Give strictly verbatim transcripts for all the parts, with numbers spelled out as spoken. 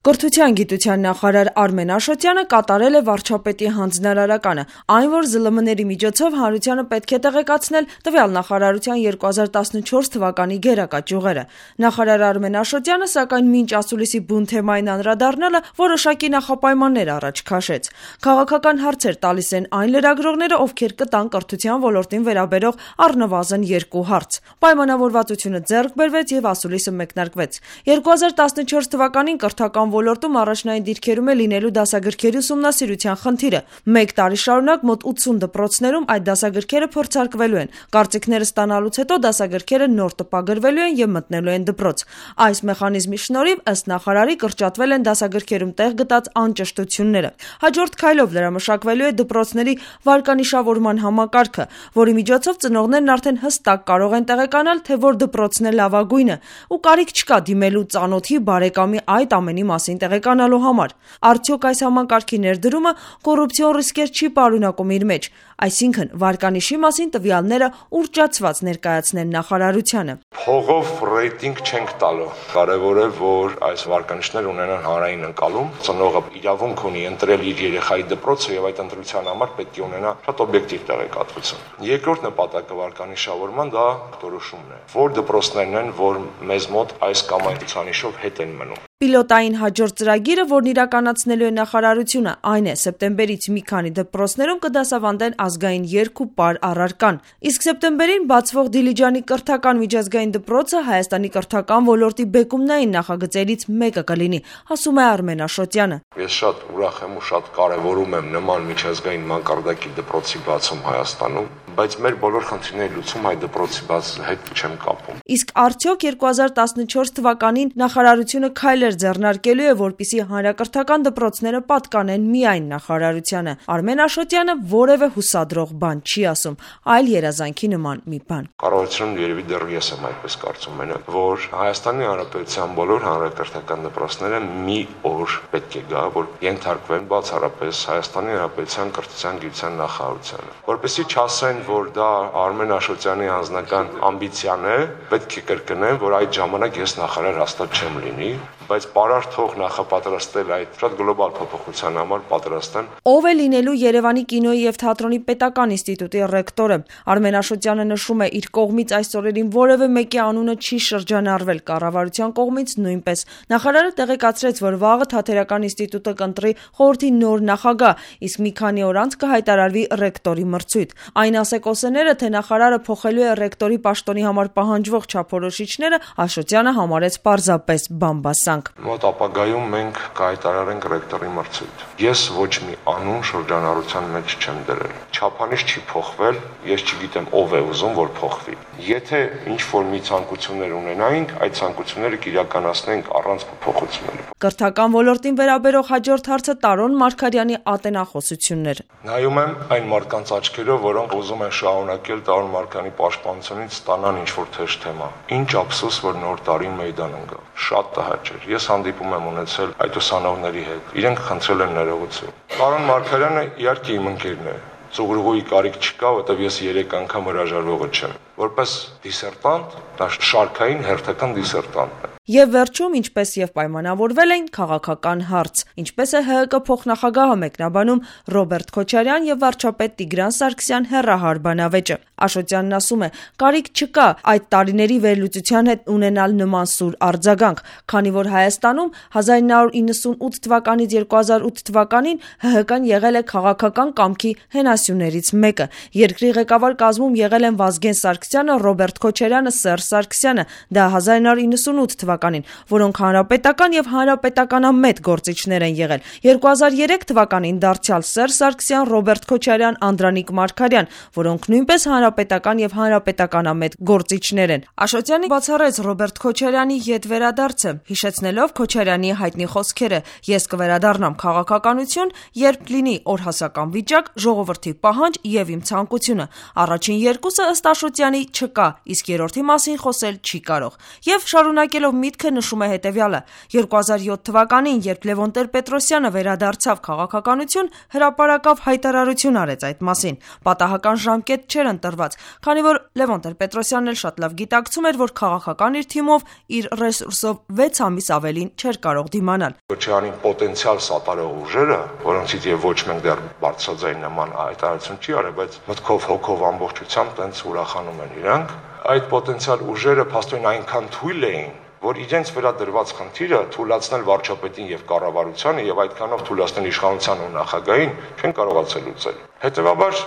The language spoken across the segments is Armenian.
Կրթության գիտության նախարար Արմեն Աշոտյանը կատարել է վարչապետի հանձնարարականը, այն, որ ԶԼՄ-ների միջոցով հանրությանը պետք է տեղեկացնել տվյալ նախարարության երկու հազար տասնչորս թվականի գերակա ճյուղերը։ Նախարար Արմեն Աշոտյանը, սակայն, մինչ ասուլիսի բուն թեմային անդրադառնալը որոշակի նախապայմաններ առաջ քաշեց։ Քաղաքական հարցեր տալիս են այն լրագրողները, ովքեր կտան կրթության ոլորտին վերաբերող առնվազն երկու հարց։ Պայմանավորվածությունը ձեռք բերվեց եւ ասուլիսը մեկնարկվեց։ երկու հազար տասնչորս թվականին կրթական ոլորտում առաջնային դիրքերում է լինելու դասագրքերի ուսումնասիրության խնդիրը։ Մեկ տարի շարունակ մոտ ութսուն դպրոցներում այդ դասագրքերը փորձարկվելու են։ Կարծիքները ստանալուց հետո դասագրքերը նոր տպագրվելու են եւ մտնելու են դպրոց։ Այս մեխանիզմի շնորհիվ, ըստ նախարարի, կրճատվել են դասագրքերում տեղ գտած անճշտությունները։ Հաջորդ քայլով լրամշակվելու է դպրոցների վարկանիշավորման համակարգը, որի միջոցով ծնողներն արդեն հստակ կարող են տեղեկանալ, թե որ դպրոցն է լավագույնը, ու կարիք չկա դիմելու ծանոթի, բարեկամի այդ ամենի մասին տեղեկանալու համար։ Արդյոք այս համակարգի ներդրումը կոռուպցիոն ռիսկեր չի պարունակում իր մեջ, այսինքն վարկանիշի մասին տվյալները ուռճացված ներկայացնեն նախարարությանը։ Փողով ռեյտինգ չենք տալու։ Կարևոր է, որ այս վարկանիշները ունենան հանրային ընկալում։ Ծնողը իրավունք ունի ընտրել իր երեխայի դպրոցը եւ այդ ընտրության համար պետք է ունենա շատ օբյեկտիվ տեղեկատվություն։ Երկրորդ նպատակը վարկանիշավորման դա որոշումն է, որ դպրոցներն են, որ մեզ մոտ այս կամ այն ցուցանիշով հետ են մնում։ Պիլոտային հաջորդ ծրագիրը, որն իրականացնելու է նախարարությունը, այն է սեպտեմբերից մի քանի դպրոցներում կդասավանդեն ազգային երգ ու պար առարկան։ Իսկ սեպտեմբերին բացվող Դիլիջանի կրթական միջազգային դպրոցը Հայաստանի կրթական ոլորտի բեկումնային նախագծերից մեկը կլինի, ասում է Արմեն Աշոտյանը։ Ես շատ ուրախ եմ ու շատ կարևորում եմ նման միջազգային մակարդակի դպրոցի բացում Հայաստանում, բայց մեր բոլոր խնդիրների լուծում այդ դպրոցի բացի հետ չեմ կապում։ Իսկ արդյոք երկու հազար տասնչորս թվականին նախարարությունը քայլեր ձեռնարկելու է, որպեսզի հանրակրթական դպրոցները պատկանեն միայն նախարարությանը։ Արմեն Աշոտյանը որևէ հուսադրող բան չի ասում, այլ երազանքի նման մի բան։ Կառավարությունում երևի դեռ ես եմ այդպես կարծում մենակ, որ Հայաստանի Հանրապետության բոլոր հանրակրթական դպրոցները մի օր պետք է գա, որ ենթարկվեն բացառապես Հայաստանի Հանրապետության կրթության գիտության նախարարությանը, որպեսզի չասեն, որ դա Արմեն Աշոտյանի անձնական ամբիցիան է, պետք է կրկնեմ, որ այդ ժամանակ ես նախարար հաստատ չեմ լինի, բայց պարարտ նախապատրաստել այդ շատ գլոբալ փոփոխության համար պատրաստ եմ։ Ով է լինելու Երևանի կինոյի եւ թատրոնի պետական ինստիտուտի ռեկտորը։ Արմեն Աշոտյանը նշում է, իր կողմից այս օրերին որևէ մեկի անունը չի շրջանառվել, կառավարության կողմից նույնպես։ Նախարարը տեղեկացրեց, որ վաղը Թատերական ինստիտուտը կընտրի խորհրդի նոր նախագահ, իսկ մի քանի օր անց կհայտարարվի ռեկտորի մրցույթ։ Այն ասեկոսեները, թե նախարարը փոխելու է ռեկտորի պաշտոնի համար պահանջվող չափորոշիչները, Աշոտյանը համարեց պարզապես բամբասանք։ Մոտ ապագայում մենք կհայտարարենք ռեկտորի մրցույթ։ Ես ոչ մի անուն շրջանառության մեջ չեմ դրել։ Չափանիշ չի փոխվել, ես չգիտեմ ով է ուզում, որ փոխվի։ Եթե ինչ-որ մի ցանկություններ ունենայինք, այդ ցանկությունները կիրականացնենք առանց փոփոխությունների։ Կրթական ոլորտին վերաբերող հաջորդ հարցը Տարոն Մարգարյանի ատենախոսություններ։ Նայում եմ այն մարդկանց աչքերով, որոնք ուզում են շարունակել Տարոն Մարգարյանի պաշտպանությունից ստանան ինչ-որ թեժ թեմա։ Ինչ ափսոս, որ նոր տարին մեյդան ընկա։ Շատ տհաճ էր։ Ես հանդիպում եմ ունեցել այդ ուսանողների հետ։ Իրենք խնդրել են ներողություն։ Տարոն Մարգարյանը իհարկե իմ ընկերն է։ Ծուղրուղի կարիք չկա, որտեղ ես երեք անգամ հրաժարվողը չեմ։ Որպես դիսերտանտ, դա շարքային հերթական դիսերտանտ է։ Եվ վերջում, ինչպես եւ պայմանավորվել են, քաղաքական հարց։ Ինչպես է ՀՀԿ փոխնախագահը մեկնաբանում Ռոբերտ Քոչարյան եւ վարչապետ Տիգրան Սարգսյան հեռահար բանավեճը։ Աշոտյանն ասում է, կարիք չկա այդ տարիների վերլուծության հետ ունենալ նման սուր արձագանք, քանի որ Հայաստանում հազար ինը հարյուր իննսունութ թվականից երկու հազար ութ թվականին ՀՀԿ-ն եղել է քաղաքական կամքի հենասյուներից մեկը։ Երկրի ղեկավար կազմում եղել են Վազգեն Սարգսյանը, Ռոբերտ Քոչարյանը, Սերժ Սարգսյանը, դա հազար ինը հարյուր իննսունութ թվականին, որոնք հանրապետական եւ հանրապետականամետ գործիչներ են եղել։ երկու հազար երեք թվականին դարձյալ Սերժ Սարգսյան, Ռոբերտ Քոչարյան, Անդրանիկ Մարգարյան, որոնք նույնպես հանրապետական եւ հանրապետականամետ գործիչներ են։ Աշոտյանը բացառեց Ռոբերտ Քոչարյանի յետ վերադարձը, հիշեցնելով Քոչարյանի հայտնի խոսքերը. «Ես կվերադառնամ քաղաքականություն, երբ լինի օրհասական վիճակ, ժողովրդի պահանջ եւ իմ ցանկությունը»։ Առաջին երկուսը ըստ Աշոտյանի քանի չկա, իսկ երրորդի մասին խոսել չի կարող։ Եվ շարունակելով միտքը նշում է հետևյալը. երկու հազար յոթ թվականին, երբ Լևոն Տեր-Պետրոսյանը վերադարձավ քաղաքականություն, հրապարակավ հայտարարություն արեց այդ մասին։ Պատահական ժամկետ չէր ընտրված, քանի որ Լևոն Տեր-Պետրոսյանն էլ շատ լավ գիտակցում էր, որ քաղաքական իր թիմով իր ռեսուրսով վեց ամիս ավելին չէր կարող դիմանալ։ Քոչարյանին պոտենցիալ սատարող ուժերը, որոնցից եւ ոչ մենք դեռ բարձրաձայն նման հայտարարություն չի արել, բայց մտքով հոգով ամբողջությամբ տենց ուրախանում են իրանք, այդ պոտենցիալ ուժերը փաստորեն այնքան թույլ էին, որ իրենց վերադրված խնդիրը թույլաtsնել վարչապետին եւ կառավարությանը եւ այդքանով թույլաtsնել իշխանության ու նախագահին չեն կարողացել լուծել։ Հետեւաբար,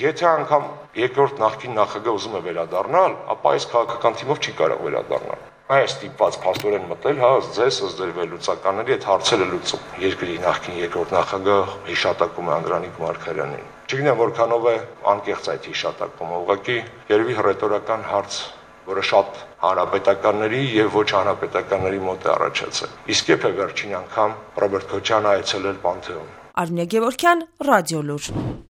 եթե անգամ երկրորդ նախկին նախագահը ուզում է վերադառնալ, ապա այս քաղաքական թիմով չի կարող վերադառնալ։ Այս ստիպված փաստորեն մտել, հա, ձեզ ըստ ձեր վերլուծականների այդ հարցերը լուծում։ Երկրի նախկին երկրորդ նախագահ հիշատակում է Անդրանիկ Մարգարյանին։ Չգիտեմ որքանով է անկեղծ այդ հիշատակումը, ուղղակի երևի հռետորական հարց, որը շատ հանրապետականների եւ ոչ հանրապետականների մոտ է առաջացել։ Իսկ երբ է վերջին անգամ Ռոբերտ Քոչյանը այցելել Պանթեոն։ Արմինե Գևորգյան, Ռադիոլուր։